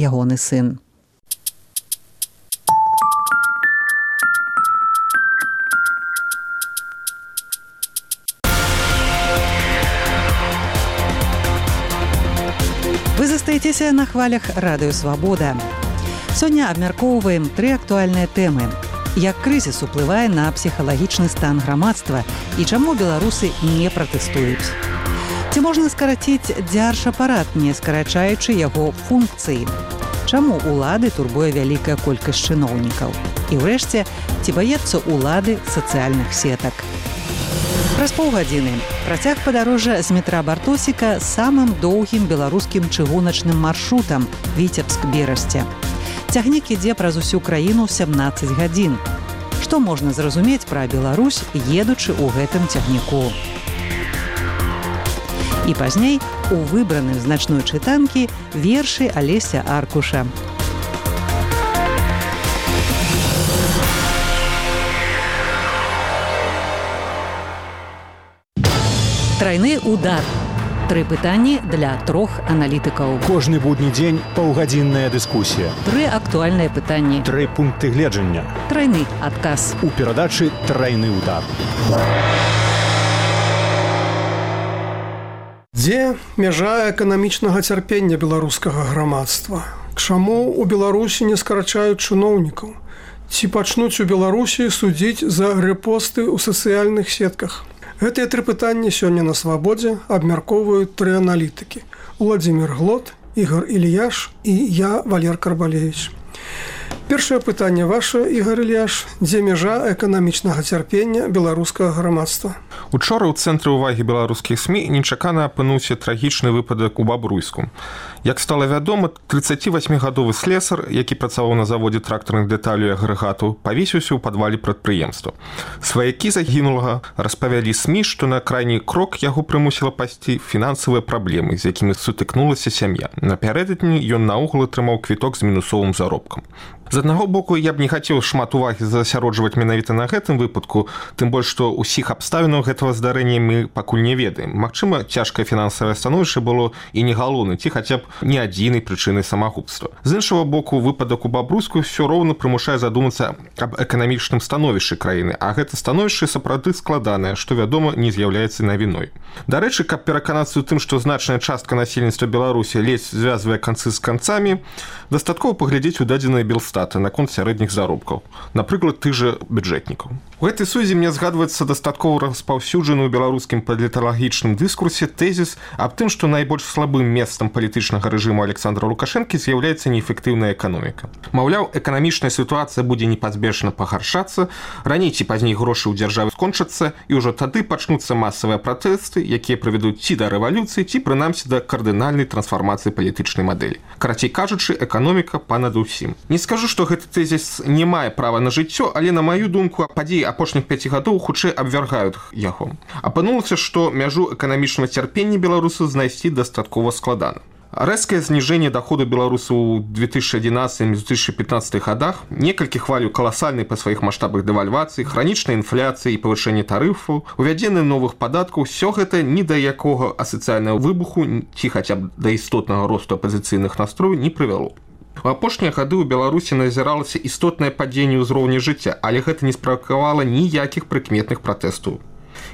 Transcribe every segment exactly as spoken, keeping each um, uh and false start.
ягоны сын. Вы застаецеся на хвалях радыё «Свабода». Сёння абмяркоўваем тры актуальныя тэмы. Як крызіс уплывае на псіхалагічны стан грамадства і чаму беларусы не пратэстуюць. Ці можна скараціць дзяржапарат, не скарачаючы яго функцыі? Чаму ўлады турбуе вялікая колькасць чыноўнікаў? І ўрэшце, ці баецца ўлады сацыяльных сетак? Праз паўгадзіны працяг падарожжа з метра Бартосіка самым доўгім беларускім чыгуначным маршрутам Віцебск-Берасце. Цягнік ідзе праз усю краіну сямнаццаць гадзін. Што можна зразумець пра Беларусь, едучы ў гэтым цягніку? І пазней у выбраным значной чытанкі вершы Алеся Аркуша. Трайны удар. Тры пытанні для трох аналітыкаў. Кожны будні дзень паўгадзінная дыскусія. Тры актуальныя пытанні. Тры пункты гледжання. Трайны адказ. У перадачы «Трайны удар». Дзе мяжа эканамічнага цярпення беларускага грамадства? Чаму у Беларусі не скарачаюць чыноўнікаў? Ці пачнуць у Беларусі судзіць за рэпосты ў сацыяльных сетках? Гэтыя тры пытанні сёння на «Свабодзе» абмяркоўваюць тры аналітыкі. Уладзімір Глот, Ігор Ільяш і я, Валер Карбалевіч. Першае пытанне ваше, Ігор Ільяш. Дзе мяжа эканамічнага цярпення беларускага грамадства? Учора ў цэнтры ўвагі беларускіх СМІ нечакана апынуўся трагічны выпадак у Бабруйску. Як стала вядома, трыццацівасьмігадовы слесар, які працаваў на заводзе трактарных дэталяў і агрэгатаў, павесіўся ў падвале прадпрыемства. Сваякі загінулага распавялі СМІ, што на крайні крок яго прымусіла пайсці фінансавыя праблемы, з якімі сутыкнулася сям'я. Напярэдадні ён наогул атрымаў квіток з мінусовым заробкам. З аднаго боку, я б не хацеў шмат увагі засяроджваць менавіта на гэтым выпадку, тым больш, што ўсіх абставінаў гэтага здарэння мы пакуль не ведаем. Магчыма, цяжкае фінансавае становішча было і не галоўнай, ці хаця б не адзінай прычынай самагубства. З іншага боку, выпадак у Бабруйску ўсё роўна прымушае задумацца аб эканамічным становішчы краіны, а гэта становішча сапраўды складанае, што, вядома, не з'яўляецца навіной. Дарэчы, каб пераканацца ў тым, што значная частка насельніцтва Беларусі ледзь звязвае канцы з канцамі, дастаткова паглядзець у дадзеныя Белстата наконт сярэдніх заробкаў, напрыклад, тых жа бюджэтнікаў. У гэтай сувязі мне згадваецца дастаткова распаўсюджаны ў беларускім паліталагічным дыскурсе тэзіс аб тым, што найбольш слабым месцам палітычнага рэжыму Александра Лукашэнкі з'яўляецца неэфектыўная эканоміка. Маўляў, эканамічная сітуацыя будзе непазбежна пагаршацца, раней ці пазней грошы ў дзяржаве скончацца, і ўжо тады пачнуцца масавыя пратэсты, якія прывядуць ці да рэвалюцыі, ці прынамсі да кардынальнай трансфармацыі палітычнай мадэлі. Карацей кажучы, эканоміка панад усім. Не скажу, што гэты тэзіс не мае права на жыццё, але, на маю думку, падзеі апошніх пяці гадоў хутчэй абвяргаюць яго. Апынулася, што мяжу эканамічнага цярпення беларусаў знайсці дастаткова складана. Рэзкае зніжэнне доходу беларусаў у две тысячи одиннадцатым - две тысячи пятнадцатым годах, некалькі хвалю каласальнай па сваіх маштабах дэвальвацыі, хранічнай інфляцыі і павышэння тарыфаў, увядзенне новых падаткаў, усё гэта ні да якога асацыяльнага выбуху ці хаця б да істотнага росту апазіцыйных настрояў не прывяло. У апошнія гады ў Беларусі назіралася істотнае падзенне ўзроўня жыцця, але гэта не справакавала ніякіх прыкметных пратэстаў.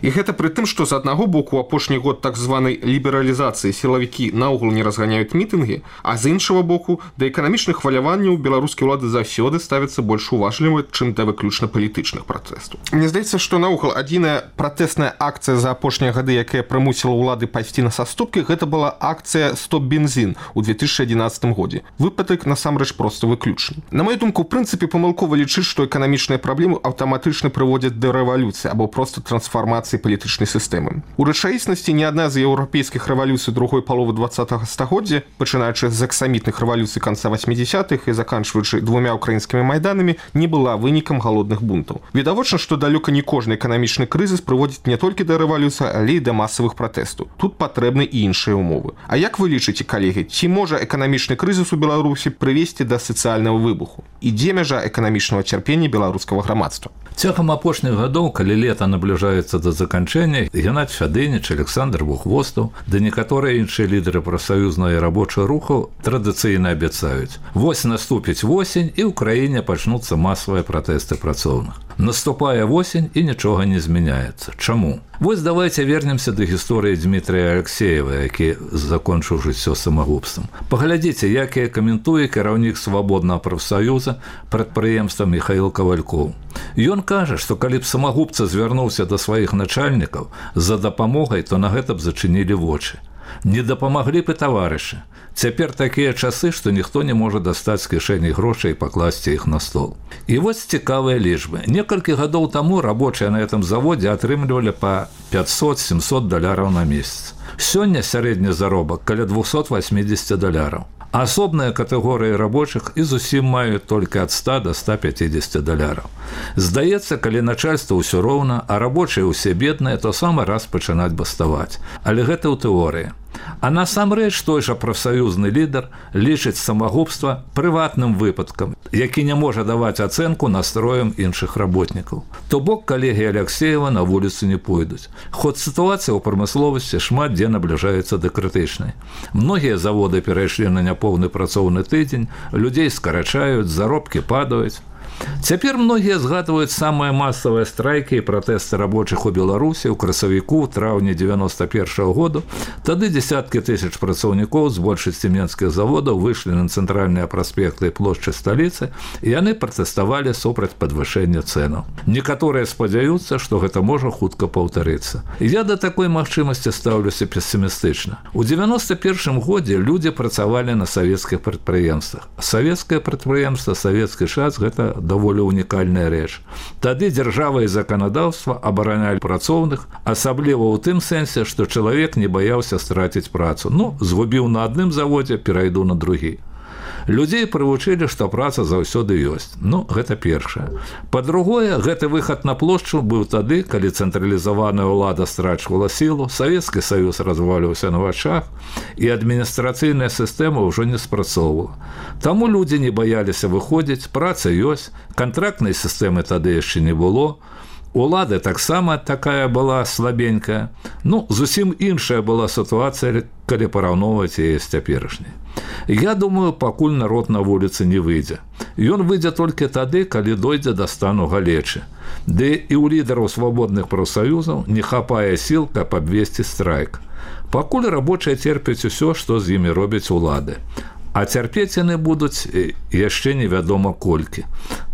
І гэта пры тым, што з аднаго боку у апошні год так званай лібералізацыі сілавікі наогул не разганяюць мітынгі, а з іншага боку да эканамічных хваляванняў беларускія ўлады заўсёды ставяцца больш уважліва, чым да выключна палітычных пратэстаў. Мне здаецца, што наогул адзіная пратэсная акцыя за апошнія гады, якая прымусіла ўлады пайсці на саступкі, гэта была акцыя «Стоп бензин» у две тысячи одиннадцатым годзе. Выпадак насамрэч проста выключны. На маю думку, у прынцыпе памылкова лічыць, што эканамічныя праблемы аўтаматычна прыводзяць да рэвалюцыі або проста трансфармацыі палітычнай сістэмы. У рэчаіснасці ні адна з еўрапейскіх рэвалюцый другой паловы двадцатага стагоддзя, пачынаючы з аксамітных рэвалюцый канца васьмідзесятых і заканчваючы двумя украінскімі майданамі, не была вынікам галодных бунтаў. Відавочна, што далёка не кожны эканамічны крызіс прыводзіць не толькі да рэвалюцыі, але і да масавых пратэстаў. Тут патрэбны і іншыя ўмовы. А як вы лічыце, калегі, ці можа эканамічны крызіс у Беларусі прывесці да сацыяльнага выбуху? і дзе мяжа эканамічнага цярпення беларускага грамадства. Цягам апошніх гадоў, калі лета набліжаецца да заканчэння, Геннадзь Фядыніч, Александр Бухвостаў, да некаторыя іншыя лідары прафсаюзнага і рабочых рухаў традыцыйна абяцаюць: вось наступіць восень, і ў краіне пачнуцца масавыя пратэсты працоўных. Наступае восень, і нічога не змяняецца. Чаму? Вось давайте вернемся да гісторыі Дмітрия Алексеева, які закончыў жыццё самагубствам. Паглядзіце, як я каментуе кіраўнік свабоднага прафсаюза прадпрыемства Михаил Кавалькоў. Ён кажа, што калі б самагубца звярнуўся да сваіх начальнікаў за дапамогай, то на гэта б зачынілі вочы. Не дапамаглі б і таварышы. Цяпер такія часы, што ніхто не можа дастаць з кішэні грошай і пакласці іх на стол. І вось цікавыя лічбы. Некалькі гадоў таму рабочыя на гэтым заводзе атрымлівалі па пятьсот-семьсот даляраў на месяц. Сёння сярэдні заробак каля двухсот восьмидесяти даляраў. Асобныя катэгорыі рабочых і зусім маюць толькі ад ста до ста пятидесяти даляраў. Здаецца, калі начальства ўсё роўна, а рабочыя ўсе бедныя, то самы раз пачынаць баставаць. Але гэта ў тэорыі. А насамрэч той жа прафсаюзны лідар лічыць самагубства прыватным выпадкам, які не можа даваць ацэнку настроям іншых работнікаў. То бок калегі Алексеева на вуліцу не пойдуць. Ход сітуацыя ў прамысловасці шмат дзе набліжаецца да крытычнай. Многія заводы перайшлі на няпоўны працоўны тыдзень, людзей скарачаюць, заробкі падаюць. Цяпер многія згадваюць самыя масавыя страйкі і пратэсты рабочых у Беларусі ў красавіку, траўні девяносто первого году. Тады десяткі тысяч працаўнікоў з большасці менскіх заводаў выйшлі на цэнтральныя праспекты і плошчы сталіцы, і яны пратэставалі супраць падвышэння цэнаў. Некаторыя спадзяюцца, што гэта можа хутка паўтарыцца. Я да такой магчымасці стаўлюся песімістычна. У девяносто первом годзе людзі працавалі на савецкіх прадпрыемствах. Савецкае прадпрыемства, савецкі час – гэта даволі унікальная рэч. Тады дзяржава і заканадаўства абаранялі працоўных, асабліва ў тым сэнсе, што чалавек не баяўся страціць працу. Ну, згубіў на адным заводзе, перайду на другі. Людзей прывучылі, што праца заўсёды ёсць. Ну, гэта першае. Па-другое, гэты выхад на плошчу быў тады, калі цэнтралізаваная ўлада страчвала сілу, Савецкі Саюз разваліўся на вачах, і адміністрацыйная сістэма ўжо не спрацоўвала. Таму людзі не баяліся выходзіць, праца ёсць, кантрактнай сістэмы тады яшчэ не было, улада таксама такая была слабенькая. Ну, зусім іншая была сітуацыя, калі параўноўваць яе з цяперашняй. Я думаю, пакуль народ на вуліцы не выйдзе. Ён выйдзе толькі тады, калі дойдзе да стану галечы. Ды і ў лідараў свабодных прафсаюзаў не хапае сіл, каб абвесці страйк. Пакуль рабочыя церпяць усё, што з імі робяць улады. А цярпець яны будуць яшчэ невядома колькі.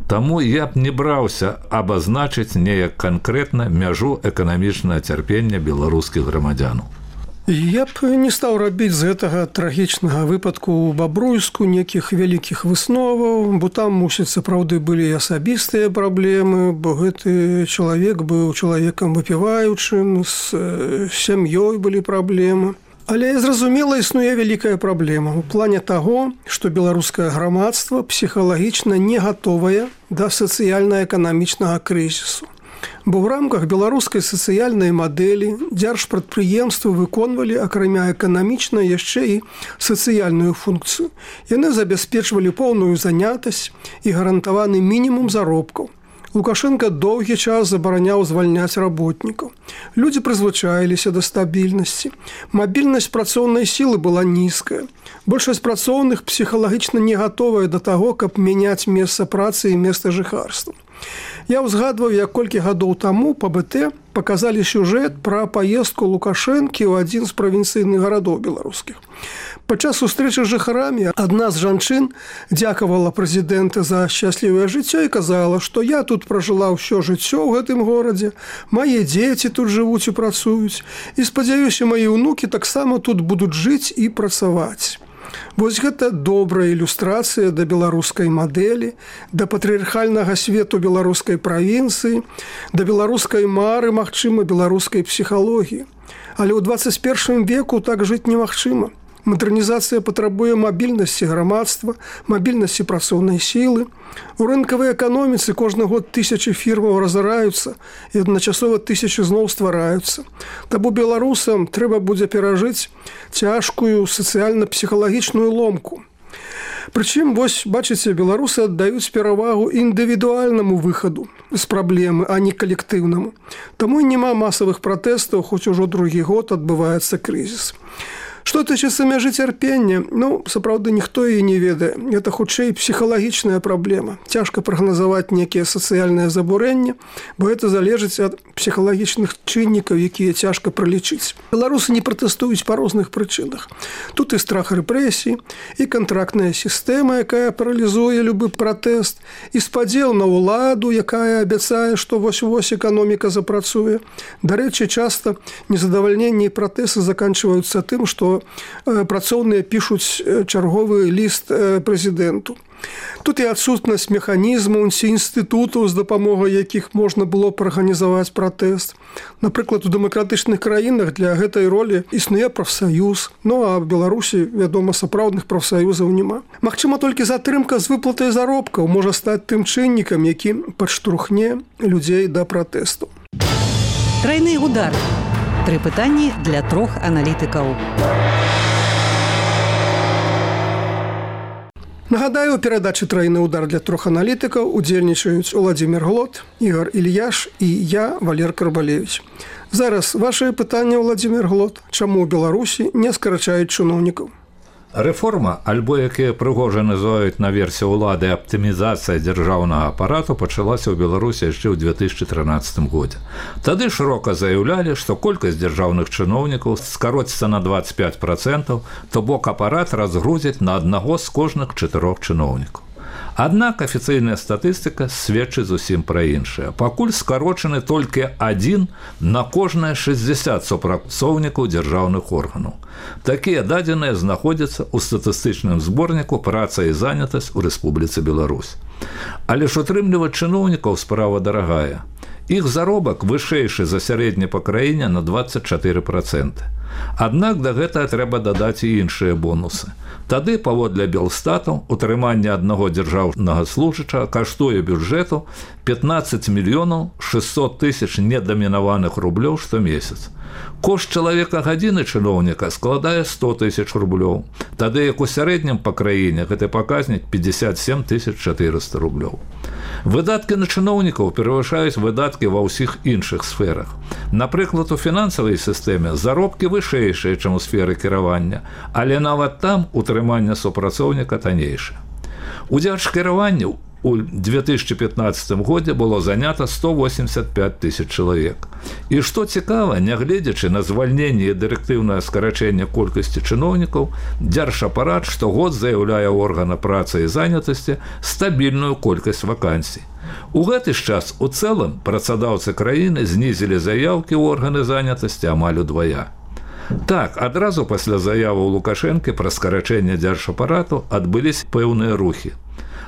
Таму я б не браўся абазначыць неяк канкрэтна мяжу эканамічнага цярпення беларускіх грамадзянаў. Я б не стаў рабіць з гэтага трагічнага выпадку ў Бабруйску нейкіх вялікіх высноваў, бо там, мусіць, сапраўды былі асабістыя праблемы, бо гэты чалавек быў чалавекам выпіваючым, з сям'ёй былі праблемы. Але, зразумела, існуе вялікая праблема ў плане таго, што беларускае грамадства псіхалагічна не гатовае да сацыяльна-эканамічнага крызісу. Бо ў рамках беларускай сацыяльнай мадэлі дзяржпрадпрыемствы выконвалі, акрамя эканамічнай, яшчэ і сацыяльную функцыю. Яны забяспечвалі поўную занятасць і гарантаваны мінімум заробкаў. Лукашенко доўгі час забараняў звальняць работнікаў. Людзі прызвычаіліся да стабільнасці. Мабільнасць працоўнай сілы была нізкая. Большасць працоўных псіхалагічна не гатовая да таго, каб мяняць месца працы і месца жыхарства. Я ўзгадваў, як колькі гадоў таму па бэ тэ паказалі сюжэт пра паездку Лукашэнкі ў адзін з правінцыйных гарадоў беларускіх. Падчас сустрэчы з жыхарамі адна з жанчын дзякавала прэзідэнта за шчаслівае жыццё і казала, што я тут пражыла ўсё жыццё ў гэтым горадзе, мае дзеці тут жывуць і працуюць, і, спадзяюся, мае ўнукі таксама тут будуць жыць і працаваць. Вось гэта добрая ілюстрацыя да беларускай мадэлі, да патрыархальнага свету беларускай правінцыі, да беларускай мары, магчыма, беларускай псіхалогіі. Але ў двадцать первым веку так жыць немагчыма. Мадэрнізацыя патрабуе мабільнасці грамадства, мабільнасці працоўнай сілы. У рынкавай эканоміцы кожны год тысячы фірмаў разараюцца і адначасова тысячы зноў ствараюцца. Таму беларусам трэба будзе перажыць цяжкую сацыяльна-псіхалагічную ломку. Прычым, вось, бачыце, беларусы аддаюць перавагу індывідуальнаму выхаду з праблемы, а не калектыўнаму. Таму і няма масавых пратэстаў, хоць ужо другі год адбываецца крызіс. Што тычыцца мяжы цярпення, ну, сапраўды, ніхто і не ведае. Гэта, хутчэй, псіхалагічная праблема. Цяжка прагназаваць некія сацыяльныя забурэнні, бо гэта залежыць ад псіхалагічных чыннікаў, якія цяжка пралічыць. Беларусы не пратэстуюць па розных прычынах. Тут і страх рэпрэсій, і кантрактная сістэма, якая паралізуе любы пратэст, і спадзел на ўладу, якая абяцае, што вось-вось эканоміка запрацуе. Дарэчы, часта незадавальненні і пратэсты заканчваюцца тым, што працоўныя пішуць чарговы ліст прэзідэнту. Тут і адсутнасць механізмаў ці інстытутаў, з дапамогай якіх можна было праарганізаваць пратэст. Напрыклад, у дэмакратычных краінах для гэтай ролі існуе прафсаюз, ну а ў Беларусі, вядома, сапраўдных прафсаюзаў няма. Магчыма, толькі затрымка з выплатай заробкаў можа стаць тым чыннікам, які падштурхне людзей да пратэсту. Трайны удар. Тры пытанні для трох аналітыкаў. Нагадаю, у перадачы «Трайны удар» для трох аналітыкаў удзельнічаюць Уладзімір Глот, Ігор Ільяш і я, Валер Карбалевіч. Зараз вашае пытанне, Уладзімір Глот. Чаму ў Беларусі не скарачаюць чыноўнікаў? Рэформа, альбо якія прыгожа называюць на версію ўлады аптымізацыя дзяржаўнага апарату, пачалася ў Беларусі яшчэ ў две тысячы трынаццатым годзе. Тады шырока заяўлялі, што колькасць дзяржаўных чыноўнікаў скароціцца на дваццаць пяць працэнтаў, то бок апарат разгрузяць на аднаго з кожных чатырох чыноўнікаў. Аднак афіцыйная статыстыка сведчыць зусім пра іншае. Пакуль скарочаны толькі адзін на кожнае шэсцьдзесят супрацоўнікаў дзяржаўных органаў. Такія дадзеныя знаходзяцца ў статыстычным зборніку «Праца і занятасць у Рэспубліцы Беларусь». Але ж утрымліваць чыноўнікаў справа дарагая. Іх заробак вышэйшы за сярэдні па краіне на дваццаць чатыры працэнты. Аднак да гэтага трэба дадаць і іншыя бонусы. Тады, паводле Белстату, утрыманне аднаго дзяржаўнага служачага каштуе бюджэту пятнаццаць мільёнаў шэсцьсот тысяч недамінаваных рублёў штомесяц. Кошт чалавека гадзіны чыноўніка складае сто тысяч рублёў. Тады, як у сярэднім па краіне, гэты паказнік пятьдесят семь тысяч четыреста рублёў. Выдаткі на чыноўнікаў перавышаюць выдаткі ва ўсіх іншых сферах. Напрыклад, у фінансавай сістэме заробкі вышэйшыя, чым у сферы кіравання, але нават там утрыманне супрацоўніка таннейшае. У дзяржкіраванні у две тысячи пятнадцатым годзе было занята сто восемьдесят пять тысяч чалавек. І што цікава, нягледзячы на звальненне і дырэктыўнае скарачэнне колькасці чыноўнікаў, дзяржапарат штогод заяўляе органа працы і занятасці стабільную колькасць вакансій. У гэты ж час у цэлым працадаўцы краіны знізілі заяўкі ў органы занятасці амаль удвая. Так, адразу пасля заявы Лукашэнкі пра скарачэнне дзяржапарату адбыліся пэўныя рухі.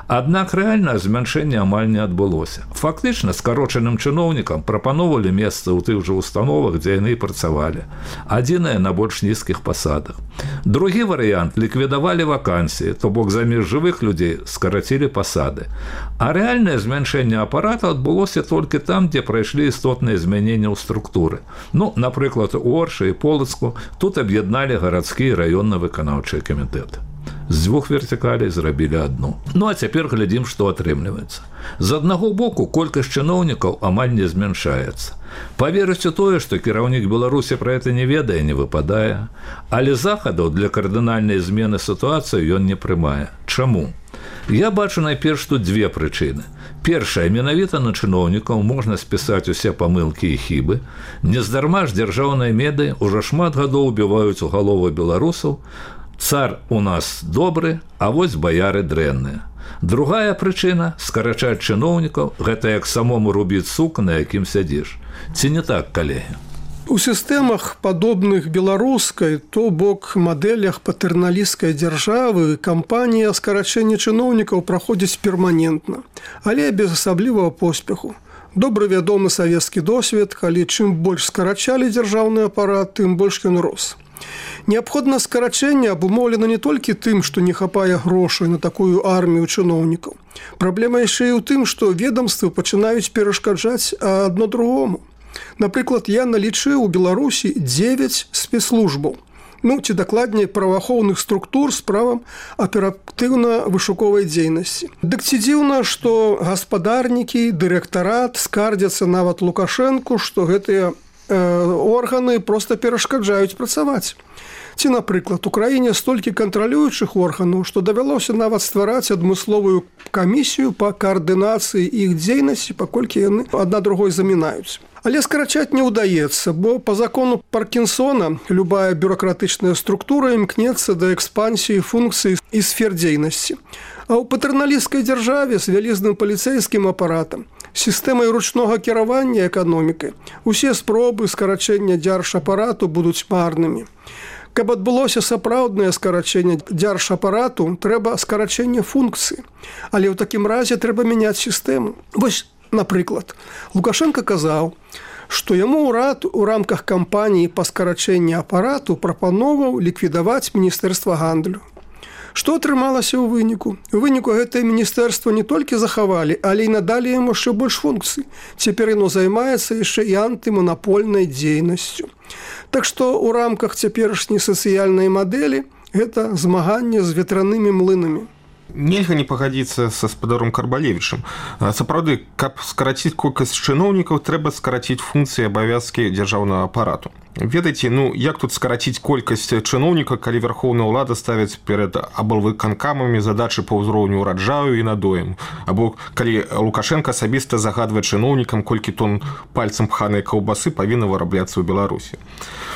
Аднак рэальнае змяншэнне амаль не адбылося. Фактычна скарочаным чыноўнікам прапаноўвалі месцы ў тых жа установах, дзе яны і працавалі. Адзінае на больш нізкіх пасадах. Другі варыянт ліквідавалі вакансіі, то бок замест жывых людзей скарацілі пасады. А рэальнае змяншэнне апарата адбылося толькі там, дзе прайшлі істотныя змяненні ў структуры. Ну, напрыклад, у Оршы і Полацку тут аб'ядналі гарадскі і раённы выканаўчыя камітэты. З дзвюх вертыкалей зрабілі адну. Ну, а цяпер глядзім, што атрымліваецца. З аднаго боку, колькасць чыноўнікаў амаль не змяншаецца. Паверыць у тое, што кіраўнік Беларусі пра гэта не ведае, не выпадае. Але захадаў для кардынальнай змены сітуацыі ён не прымае. Чаму? Я бачу найперш тут дзве прычыны. Першая, менавіта на чыноўнікаў можна спісаць усе памылкі і хібы. Нездарма ж дзяржаўныя медыі ўжо шмат гадоў убіваюць у галовы беларусаў. Цар у нас добры, а вось баяры дрэнныя. Другая прычына – скарачаць чыноўнікаў – гэта як самому рубіць сук, на якім сядзіш. Ці не так, калегі? У сістэмах, падобных беларускай, то бок мадэлях патэрналісцкай дзяржавы, кампанія скарачэння чыноўнікаў праходзіць перманентна, але без асаблівага поспеху. Добры вядомы савецкі досвед, калі чым больш скарачалі дзяржаўны апарат, тым больш ён рос. Неабходна скарачэнне абумоўлена не толькі тым, што не хапае грошай на такую армію чыноўнікаў. Праблема яшчэ і ў тым, што ведамствы пачынаюць перашкаджаць адно другому. Напрыклад, я налічыў у Беларусі дзевяць спецслужбаў. ну ці дакладней праваахоўных структур з правам аператыўна-вышуковай дзейнасці. Дык ці дзіўна, што гаспадарнікі, дырэктарат скардзяцца нават Лукашэнку, што гэтыя э, органы проста перашкаджаюць працаваць. Ці, напрыклад, у краіне столькі кантралюючых органаў, што давялося нават ствараць адмысловую камісію па каардынацыі іх дзейнасці, паколькі яны адна другой замінаюць. Але скарачаць не ўдаецца, бо па закону Паркінсона любая бюракратычная структура імкнецца да экспансіі функцый і сфер дзейнасці. А ў патэрналісцкай дзяржаве з вялізным паліцэйскім апаратам, сістэмай ручнога кіравання эканомікай, усе спробы скарачэння дзяржапарату будуць марнымі. Каб адбылося сапраўднае скарачэнне дзяржапарату, трэба скарачэнне функцыі. Але ў такім разе трэба мяняць сістэму. Вось, напрыклад, Лукашенко казаў, што яму ўрад у рамках кампаніі па скарачэнні апарату прапановаў ліквідаваць міністэрства гандлю. Што атрымалася ў выніку? У выніку гэтае міністэрства не толькі захавалі, але і надалі яму яшчэ больш функцый. Цяпер яно займаецца яшчэ і антыманапольнай дзейнасцю. Так што ў рамках цяперашняй сацыяльнай мадэлі гэта змаганне з ветранымі млынамі. Нельга не пагадзіцца са спадаром Карбалевічам. Сапраўды, каб скараціць колькасць чыноўнікаў, трэба скараціць функцыі і абавязкі дзяржаўнага апарату. Ведаеце, ну як тут скараціць колькасць чыноўнікаў, калі вярхоўная ўлада ставіць перад аблвыканкамамі задачы па ўзроўню ўраджаю і надоем, або калі Лукашенко асабіста загадвае чыноўнікам, колькі тонн пальцам пханай каўбасы павінна вырабляцца ў Беларусі.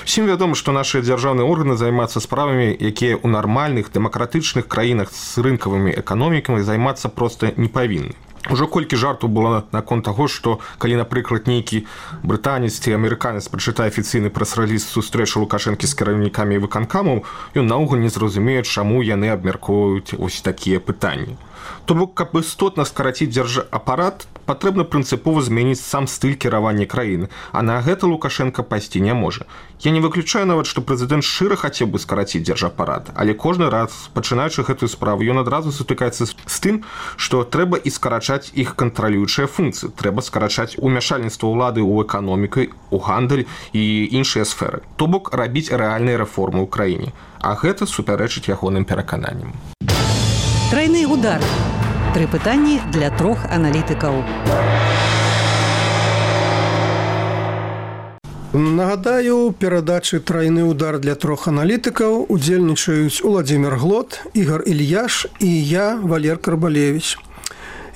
Усім вядома, што нашыя дзяржаўныя органы займаюцца справамі, якія ў нармальных дэмакратычных краінах з рынкавымі эканомікамі займацца проста не павінны. Ужо колькі жарту было наконт таго, што калі, напрыклад, нейкі брытанец ці амерыканец прачытае афіцыйны прэс-рэліз сустрэчы Лукашэнкі з кіраўнікамі выканкамаў, ён наогул не зразумее, чаму яны абмяркоўваюць вось такія пытанні. То бок, каб істотна скараціць дзяржапарат, патрэбна прынцыпова змяніць сам стыль кіравання краіны, а на гэта Лукашенко пайсці не можа. Я не выключаю нават, што прэзідэнт шчыра хацеў бы скараціць дзяржапарат, але кожны раз, пачынаючы гэтую справу, ён адразу сутыкаецца з тым, што трэба і скарачаць іх кантралюючыя функцыі, трэба скарачаць умяшальніцтва ўлады ў эканоміку, у гандаль і іншыя сферы. То бок, рабіць рэальныя рэформы ў краіне. А гэта супярэчыць ягоным перакананням. Трайны удар. Тры пытанні для трох аналітыкаў. Нагадаю, перадачы «Трайны удар» для трох аналітыкаў удзельнічаюць Уладзімір Глот, Ігор Ільяш і я, Валер Карбалевіч.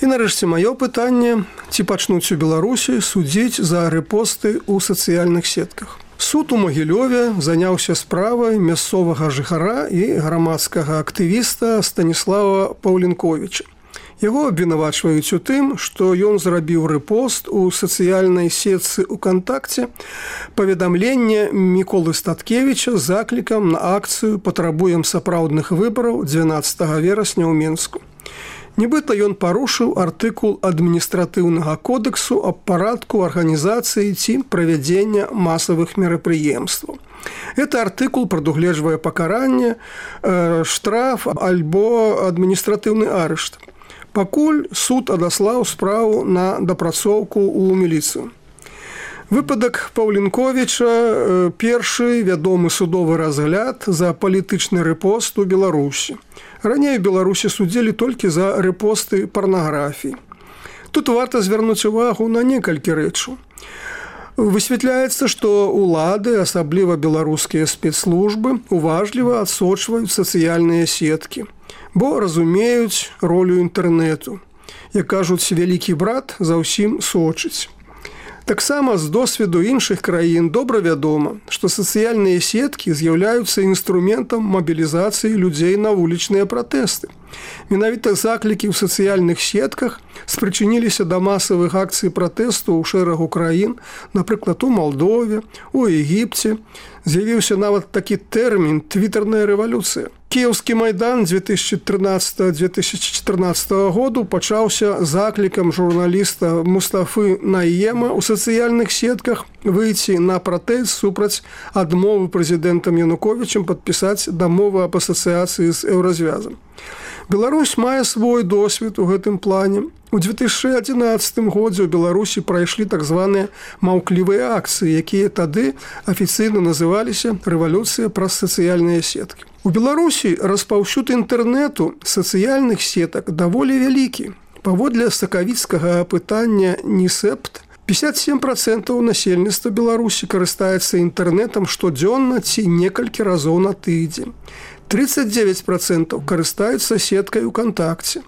І нарэшце маё пытанне, ці пачнуць у Беларусі судзіць за рэпосты ў сацыяльных сетках. Суд у Магілёве заняўся справай мясцовага жыхара і грамадскага актывіста Станіслава Паўлінковіча. Яго абвінавачваюць у тым, што ён зрабіў рэпост у сацыяльнай сетцы УКонтакце паведамлення Міколы Статкевіча з заклікам на акцыю «Патрабуем сапраўдных выбараў» дванаццатага верасня ў Мінску. Нібыта ён парушыў артыкул адміністратыўнага кодексу аб парадку арганізацыі ці правядзення масавых мерапрыемстваў. Гэты артыкул прадугледжвае пакаранне, э, штраф альбо адміністратыўны арышт. Пакуль суд адаслаў справу на дапрацоўку ў міліцыю. Выпадак Паўлінковіча – першы вядомы судовы разгляд за палітычны рэпост у Беларусі. Раней у Беларусі судзілі толькі за рэпосты парнаграфіі. Тут варта звярнуць увагу на некалькі рэчаў. Высвятляецца, што ўлады, асабліва беларускія спецслужбы, уважліва адсочваюць сацыяльныя сеткі, бо разумеюць ролю інтэрнэту. Як кажуць, вялікі брат за ўсім сочыць. Таксама з досведу іншых краін добра вядома, што сацыяльныя сеткі з'яўляюцца інструментам мабілізацыі людзей на вулічныя пратэсты. Менавіта заклікі ў сацыяльных сетках спрычыніліся да масавых акцый пратэсту ў шэрагу краін, напрыклад, у Малдове, у Егіпце. З'явіўся нават такі тэрмін «твітарная рэвалюцыя». Кіеўскі майдан дзве тысячы трынаццатага - дзве тысячы чатырнаццатага году пачаўся заклікам журналіста Мустафы Найема ў сацыяльных сетках выйти на пратэст супраць адмовы прэзідэнтам Януковічам падпісаць дамову аб асацыяцыі з Еўразвязам. Беларусь мае свой досвед у гэтым плане. У две тысячи одиннадцатым годзе ў Беларусі прайшлі так званыя маўклівыя акцыі, якія тады афіцыйна называліся рэвалюцыя праз сацыяльныя сеткі. У Беларусі распаўсюд інтэрнэту сацыяльных сетак даволі вялікі. Паводле сакавіцкага апытання НІСЭПТ, пятьдесят семь процентов насельніцтва Беларусі карыстаецца інтэрнэтам штодзённа ці некалькі разоў на тыдзень. тридцать девять процентов карыстаюцца сеткай УКонтакце.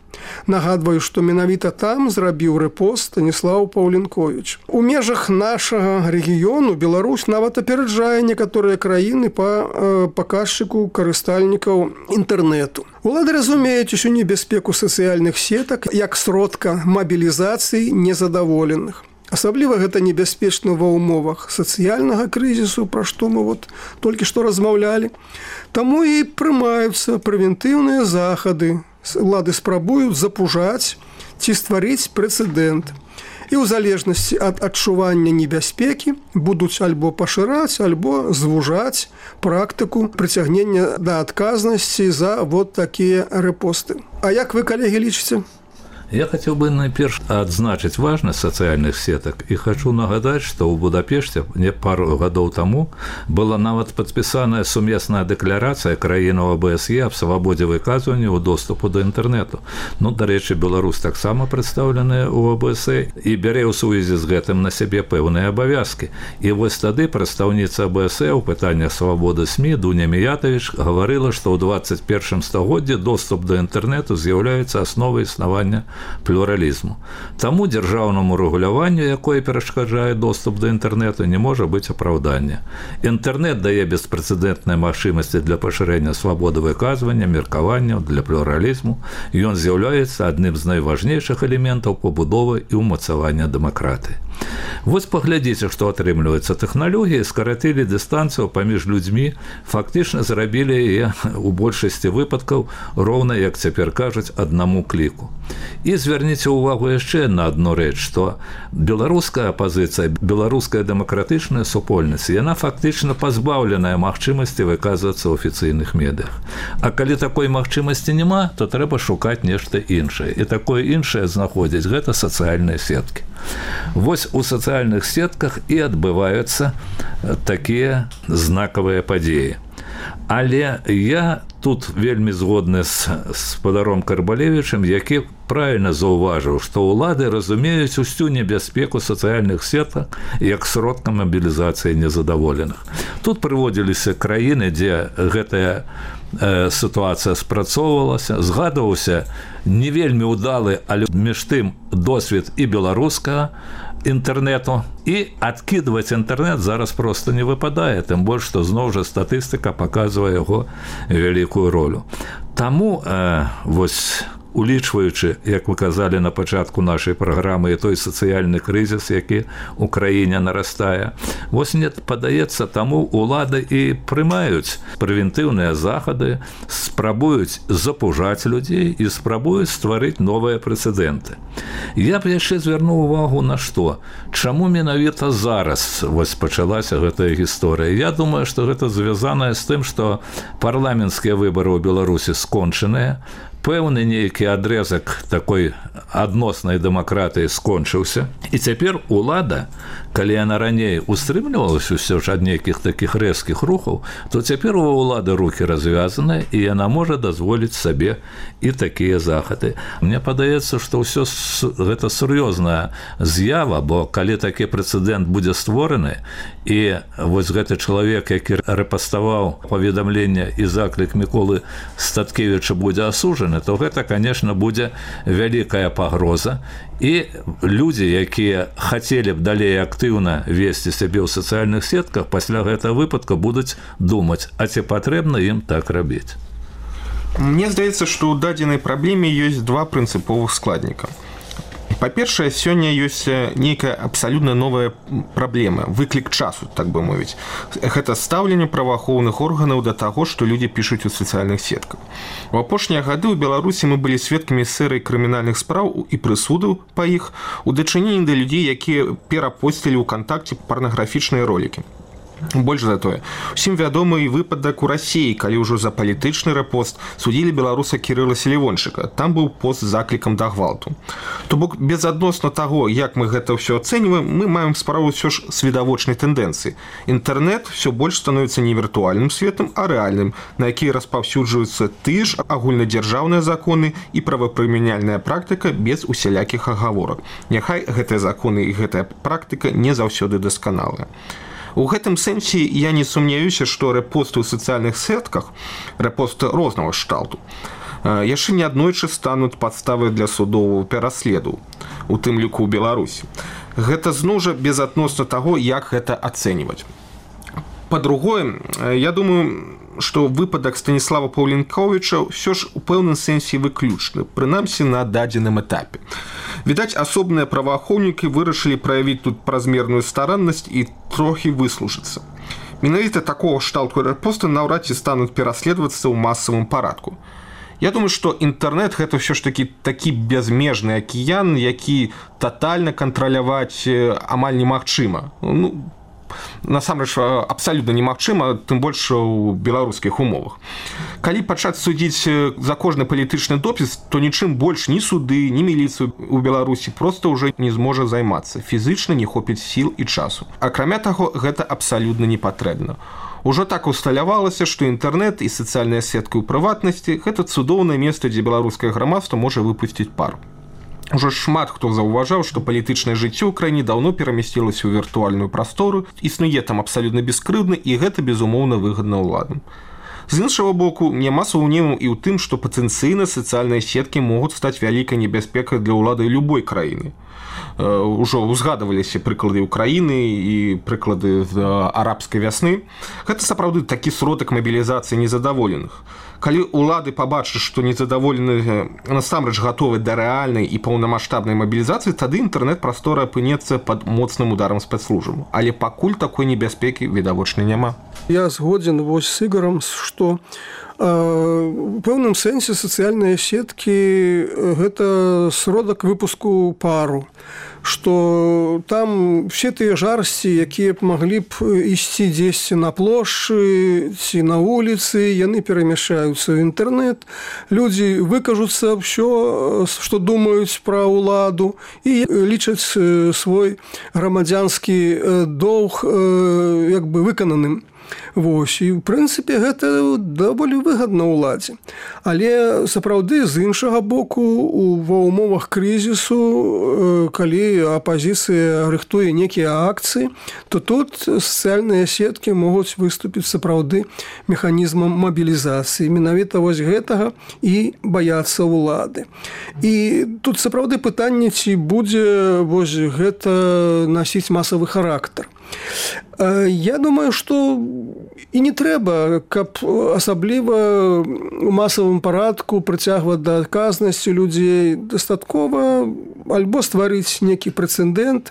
Нагадваю, што менавіта там зрабіў рэпост Станіслаў Паўлінковіч. У межах нашага рэгіёну Беларусь нават апераджае некаторыя краіны па э, паказчыку карыстальнікаў інтэрнэту. Улады разумеюць усю небяспеку сацыяльных сетак як сродка мабілізацыі незадаволеных. Асабліва гэта небяспечна ва ўмовах сацыяльнага крызісу, пра што мы вот толькі што размаўлялі. Таму і прымаюцца прэвентыўныя захады. Улады спрабуюць запужаць ці стварыць прэцэдэнт. І ў залежнасці ад адчування небяспекі будуць альбо пашыраць, альбо звужаць практыку прыцягнення да адказнасці за вот такія рэпосты. А як вы, калегі, лічыце? Я хотел бы найперш адзначыць важнасць сацыяльных сетак і хочу нагадаць, што ў Будапешце не пару гадоў таму была нават падпісаная сумесная дэкларацыя краінаў АБСЕ аб свабодзе выказвання ў доступу да інтэрнэту. Ну, дарэчы, Беларусь таксама прадстаўленая ў АБСЕ і бярэ ў сувязі з гэтым на сябе пэўныя абавязкі. І вось тады прадстаўніца АБСЕ ў пытаннях свабоды СМІ Дуня Міятавіч гаварыла, што ў двадцать першым стагоддзі доступ да інтэрнэту з'яўляецца асновай існавання плюралізму. Таму дзяржаўнаму рэгуляванню, якое перашкаджае доступ да інтэрнэту, не можа быць апраўдання. Інтэрнэт дае беспрэцэдэнтныя магчымасці для пашырэння свабоды выказвання, меркаванняў, для плюралізму. Ён з'яўляецца адным з найважнейшых элементаў пабудовы і ўмацавання дэмакратыі. Вось паглядзіце, што атрымліваецца. Тэхналогіі скаратылі дыстанцыю паміж людзьмі, фактычна зрабілі яе у большасці выпадкаў роўна, як цяпер кажуць, аднаму кліку. І звярніце ўвагу яшчэ на адну рэч, што беларуская апазіцыя, беларуская дэмакратычная супольнасць, яна фактычна пазбаўленая магчымасці выказвацца ў афіцыйных медыях. А калі такой магчымасці няма, то трэба шукаць нешта іншае. І такое іншае знаходзіць гэта сацыяльныя сеткі. Вось у сацыяльных сетках і адбываюцца такія знакавыя падзеі. Але я тут вельмі згодны з спадаром Карбалевічам, які правільна заўважыў, што ўлады разумеюць усю небяспеку сацыяльных сетак як сродка мабілізацыі незадаволеных. Тут прыводзіліся краіны, дзе гэтая э, сітуацыя спрацоўвалася, згадваўся не вельмі ўдалы, але між тым досвед і беларускага інтэрнэту, і адкідваць інтэрнэт зараз проста не выпадае, тым больш, што зноў жа статыстыка паказвае яго вялікую ролю. Таму э, вось улічваючы, як вы казалі на пачатку нашай праграмы, і той сацыяльны крызіс, які ў краіне нарастае, вось мне падаецца, таму улады і прымаюць прэвентыўныя захады, спрабуюць запужаць людзей і спрабуюць стварыць новыя прэцэдэнты. Я б яшчэ звярнуў увагу на што? Чаму менавіта зараз вось пачалася гэтая гісторыя? Я думаю, што гэта звязанае з тым, што парламенцкія выбары ў Беларусі скончаныя, пэўны нейкі адрэзак такой адноснай дэмакратыі скончыўся. І цяпер улада, калі яна раней устрымлівалася ўсё ж ад нейкіх такіх рэзкіх рухаў, то цяпер у улады рукі развязаныя, і яна можа дазволіць сабе і такія захады. Мне падаецца, што ўсё гэта сур'ёзная з'ява, бо калі такі прэцэдэнт будзе створаны, і вось гэты чалавек, які рэпаставаў паведамленне і заклік Міколы Статкевіча будзе асуджаны, то гэта, конечно, будзе вялікая пагроза. І людзі, якія хацелі б далей актыўна весці сябе ў сацыяльных сетках, пасля гэтага выпадка будуць думаць, а ці патрэбна ім так рабіць. Мне здаецца, што ў дадзенай праблеме ёсць два прынцыповых складніка. Па-першае, сёння ёсць нейкая абсалютна новая праблема, выклік часу, так бы мовіць. Гэта стаўленне праваахоўных органаў да таго, што людзі пішуць у сацыяльных сетках. У апошнія гады ў Беларусі мы былі сведкамі серыі крымінальных спраў і прысудаў па іх у дачыненні да людзей, якія перапосцілі ў кантакце парнаграфічныя ролікі. Больш за тое, усім вядомы і выпадак у Расіі, калі ўжо за палітычны рэпост судзілі беларуса Кірыла Селівончыка. Там быў пост з заклікам да гвалту. То бок, безадносна таго, як мы гэта ўсё ацэньваем, мы маем справу ўсё ж з відавочнай тэндэнцыі. Інтэрнэт ўсё больш становіцца не віртуальным светам, а рэальным, на які распаўсюджваюцца тыя ж агульнадзяржаўныя законы і правапрымяняльная практыка без усялякіх агаворак. Няхай гэтыя законы і гэтая практыка не заўсёды дасканалая. У гэтым сэнсе я не сумняюся, што рэпосты ў сацыяльных сетках, рэпосты рознага кшталту, яшчэ неаднойчы стануць падставай для судового пераследу, у тым ліку ў Беларусі. Гэта зноў жа безадносна таго, як гэта ацэньваць. Па-другое, я думаю, што выпадак Станіслава Паўлінковіча ўсё ж у пэўным сэнсе выключны, прынамсі на дадзеным этапе. Відаць, асобныя праваахоўнікі вырашылі праявіць тут празмерную стараннасць і трохі выслужыцца. Менавіта такого кшталту рэпосты наўрад ці стануць пераследавацца ў масавым парадку. Я думаю, што інтэрнэт гэта ўсё ж такі такі бязмежны акіян, які татальна кантраляваць амаль немагчыма. Ну, насамрэч абсалютна немагчыма, тым больш у беларускіх умовах. Калі пачаць судзіць за кожны палітычны допіс, то нічым больш ні суды, ні міліцыю ў Беларусі проста ўжо не зможа займацца. Фізычна не хопіць сіл і часу. Акрамя таго, гэта абсалютна не патрэбна. Ужо так усталявалася, што інтэрнэт і сацыяльная сетка ў прыватнасці – гэта цудоўнае месца, дзе беларускае грамадства можа выпусціць пар. Ужо шмат хто заўважаў, што палітычнае жыццё ў краіне даўно перамясцілася ў віртуальную прастору, існуе там абсалютна бескрыўдна, і гэта, безумоўна, выгадна ўладам. З іншага боку, няма сумневу і ў тым, што патэнцыйна сацыяльныя сеткі могуць стаць вялікай небяспекай для ўлады любой краіны. Ужо узгадываліся прыклады Украіны і прыклады арабскай вясны. Гэта сапраўды такі сродак мабілізацыі незадаволеных. Калі ўлады пабачаць, што незадаволеныя насамрэч гатовы да рэальнай і паўнамаштабнай мабілізацыі, тады інтэрнэт-прастора апынецца пад моцным ударам спецслужбаў. Але пакуль такой небяспекі відавочна няма. Я згодзін вось з Ігарам, што у пэўным сэнсе сацыяльныя сеткі – гэта сродак выпуску пару, што там все тыя жарсці, якія б маглі б ісці дзесьці на плошчы ці на вуліцы, яны перамяшаюцца ў інтэрнэт, людзі выкажуцца ўсё, што думаюць пра ўладу і лічаць свой грамадзянскі доўг як бы выкананым. Вось, і, ў прынцыпе, гэта даволі выгадна ўладзе. Але, сапраўды, з іншага боку, ва ўмовах крызісу, калі апазіцыя рыхтуе некія акцыі, то тут сацыяльныя сеткі могуць выступіць сапраўды механізмам мабілізацыі. Менавіта вось гэтага і баяцца ўлады. І тут сапраўды пытанне, ці будзе вось гэта насіць масавы характар. Я думаю, што і не трэба, каб асабліва ў масавым парадку прыцягваць да адказнасці людзей. Дастаткова альбо стварыць некі прэцэдэнт,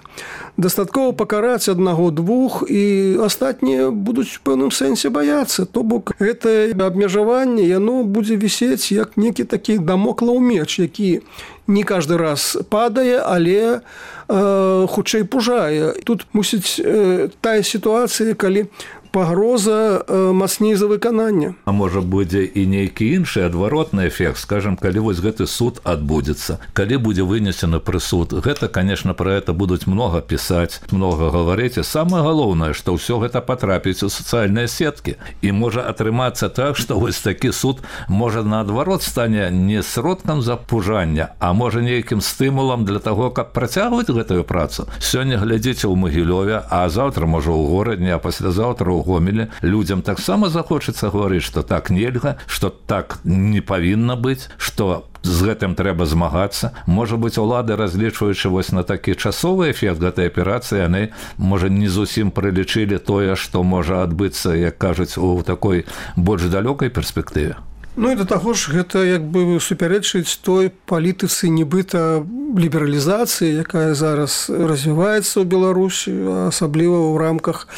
дастаткова пакараць аднаго-двух, і астатнія будуць у пэўным сэнсе баяцца. То бок гэтае абмежаванне, яно будзе вісець як некі такі дамоклаў меч, які не каждый раз падае, але э, хутчэй пужае. Тут мусіць э, тая сітуацыя, калі пагроза э, мацней за выканання. А можа будзе і нейкі іншы адваротны эфект, скажем, калі вось гэты суд адбудзецца, калі будзе вынесены прысуд. Гэта, конечно, про это будуць много пісаць, много гаварыць. І самае галоўнае, што ўсё гэта патрапіць у сацыяльныя сеткі. І можа атрымацца так, што вось такі суд можа наадварот стане не сродкам запужання, а можа нейкім стымулам для таго, каб працягваць гэтую працу. Сёння глядзіце ў Магілёве, а заўтра можа ў горадні, а паслязаўтра ў Гомеле. Людзям таксама захочацца гаварыць, што так нельга, што так не павінна быць, што з гэтым трэба змагацца. Можа быць, улады, разлічваючы вось на такі часовы эфект гэтай аперацыі, яны, можа, не зусім прылічылі тое, што можа адбыцца, як кажуць, у такой больш далёкай перспектыве. Ну і да таго ж гэта як бы супярэчыць той палітыцы нібыта лібералізацыі, якая зараз развіваецца ў Беларусі, асабліва ў рамках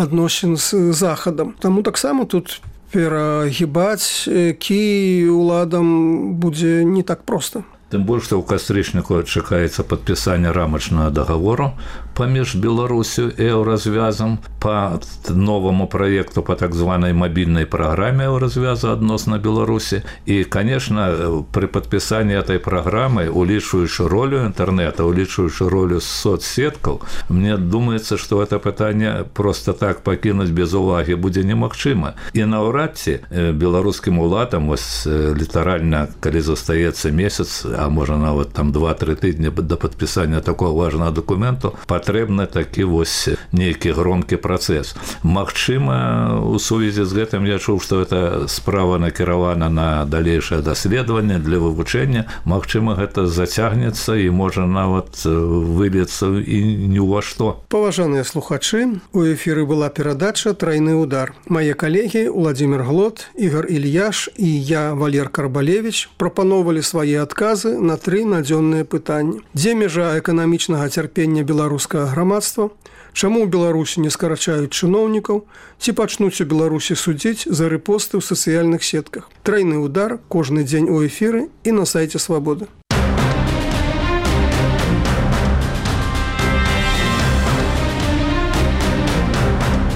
адносін з Захадам. Таму таксама тут перагібаць кій уладам будзе не так проста. Тым больш, што ў кастрычніку чакаецца падпісанне рамачнага дагавору паміж Беларусью і еўразвязам по новому проекту по так званой мобильной программе еўразвяза адносна Беларусі. И, конечно, при подписании этой программы, улічваючы ролю интернета, улічваючы ролю соцсеткаў, мне думается, что это пытанне просто так покинуть без уваги будзе немагчыма. И наўрад ці беларускім уладам, вось літаральна, калі застаецца месяц, а можа нават там два-тры тыдні до подписания такого важного документу, патрэбны такі вось нейкі громкі працэс. Магчыма, у сувязі з гэтым я чуў, што эта справа накіравана на далейшае даследаванне для вывучэння. Магчыма, гэта зацягнецца і можа нават выльецца і ні ў ва што. Паважаныя слухачы, у эфіры была перадача «Трайны удар». Мае калегі Владимир Глот, Ігор Ільяш і я, Валер Карбалевич, прапаноўвалі свае адказы на тры надзённыя пытанні. Дзе мяжа эканамічнага цярпення беларускага грамадства? Чаму ў Беларусі не скарачаюць чыноўнікаў? Ці пачнуць у Беларусі судзіць за рэпосты ў сацыяльных сетках? Трайны удар кожны дзень у эфіры і на сайце Свабоды.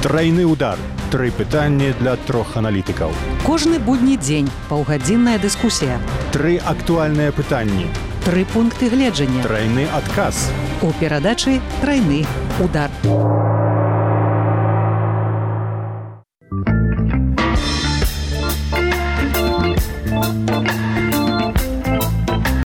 Трайны удар. Тры пытанні для трох аналітыкаў. Кожны будні дзень паўгадзінная дыскусія. Тры актуальныя пытанні. Тры пункты гледжання. Трайны адказ. У перадачы «Трайны удар».